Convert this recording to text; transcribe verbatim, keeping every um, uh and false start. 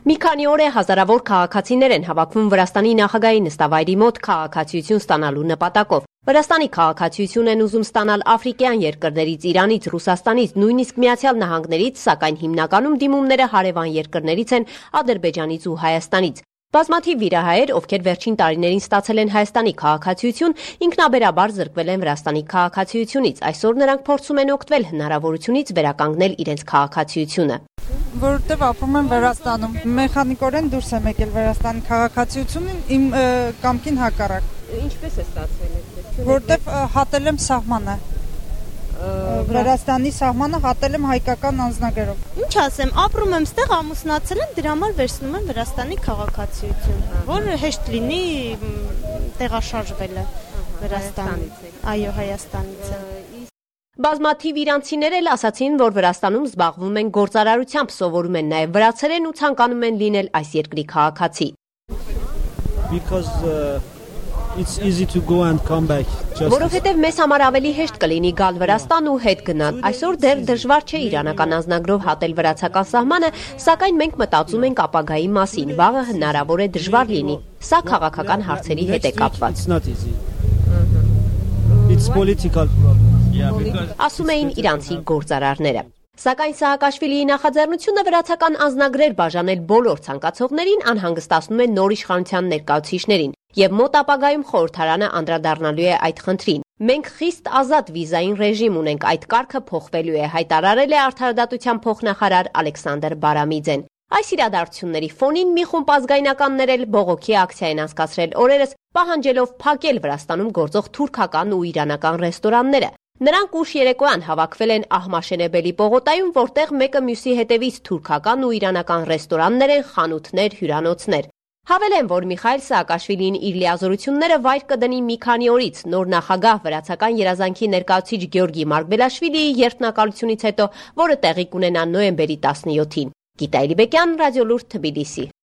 Մի քանի օր է հազարավոր քաղաքացիներ են հավաքվում Վրաստանի նախագահի նստավայրի մոտ քաղաքացիություն ստանալու նպատակով։ Վրաստանի քաղաքացիություն են ուզում ստանալ աֆրիկյան երկրներից, Իրանից, Ռուսաստանից, նույնիսկ Միացյալ Նահանգներից, սակայն հիմնականում դիմումները հարևան երկրներից են Ադրբեջանից ու Հայաստանից։ Բազմաթիվ վիրահայեր, ովքեր վերջին տարիներին ստացել են Հայաստանի քաղաքացիություն, ինքնաբերաբար զրկվել են Վրաստանի քաղաքացիությունից։ Այսօր նրանք փորձում են օգտվել հնարավորությունից վերականգնել իրենց քաղաքացիությունը։ Որովհետև ապրում եմ Վրաստանում, մեխանիկորեն դուրս եմ եկել Վրաստանի քաղաքացիությունին իմ կամքին հակառակ։ Ինչպես է ստացվել այդ։ Որովհետև հատել եմ սահմանը։ Վրաստանի սահմանը հատել եմ հայկական անձնագրով։ Ինչ ասեմ, ապրում եմ ստեղ, ամուսնացել եմ, դրա համար վերցնում եմ Վրաստանի քաղաքացիություն, որ հեշտ լինի տեղաշարժվելը Վրաստանից։ Այո, Հայաստանից է։ Բազմաթիվ իրանցիներ էլ ասացին, որ Վրաստանում զբաղվում են գործարարությամբ, սովորում են նաև վրացերեն ու ցանկանում են լինել այս երկրի քաղաքացի։ Because uh, it's easy to go and come back. Որովհետև մեզ համար ավելի հեշտ կլինի գալ Վրաստան ու հետ գնալ։ Այսօր դեռ դժվար չէ իրանական անձնագրով հատել վրացական սահմանը, սակայն մենք մտածում ենք ապագայի մասին։ Վաղը հնարավոր է դժվար լինի։ Սա քաղաքական հարցերի հետ է կապված։ It's political problem. Ասում էին իրանցի գործարարները։ Սակայն Սաակաշվիլիի նախաձեռնությունը վրացական անձնագրեր բաժանել բոլոր ցանկացողներին անհանգստացնում է նոր իշխանության ներկայացուցիչներին, եւ մոտ ապագայում խորհրդարանը անդրադառնալու է այդ խնդրին։ Մենք խիստ ազատ վիզային ռեժիմ ունենք, այդ կարգը փոխվելու է, հայտարարել է արդարադատության փոխնախարար Ալեքսանդր Բարամիձեն։ Այս իրադարձությունների ֆոնին մի խումբ ազգայնականներ էլ բողոքի ակցիա են անցկացրել օրերս, պահանջելով փակել Վրաստանում գործող թուրքական ու իրանական ռեստորանները։ Նրանք ուշ երեկոյան հավաքվել են Ահմաշենեբելի պողոտայում, որտեղ մեկը մյուսի հետևից թուրքական ու իրանական ռեստորաններ են, խանութներ, հյուրանոցներ։ Հավելեն, որ Միխայել Սաակաշվիլին իր լիազորությունները վայր կդնի մի քանի օրից նոր նախագահ վրացական երազանքի ներկայացուցիչ Գյորգի Մարգբելաշվիլիի երթնակալությունից հետո, որը տեղի կունենա նոյեմբերի տասնյոթին։ Գիտա Էլիբեկյան, Ռադիոլուրդ, Թբիլիսի։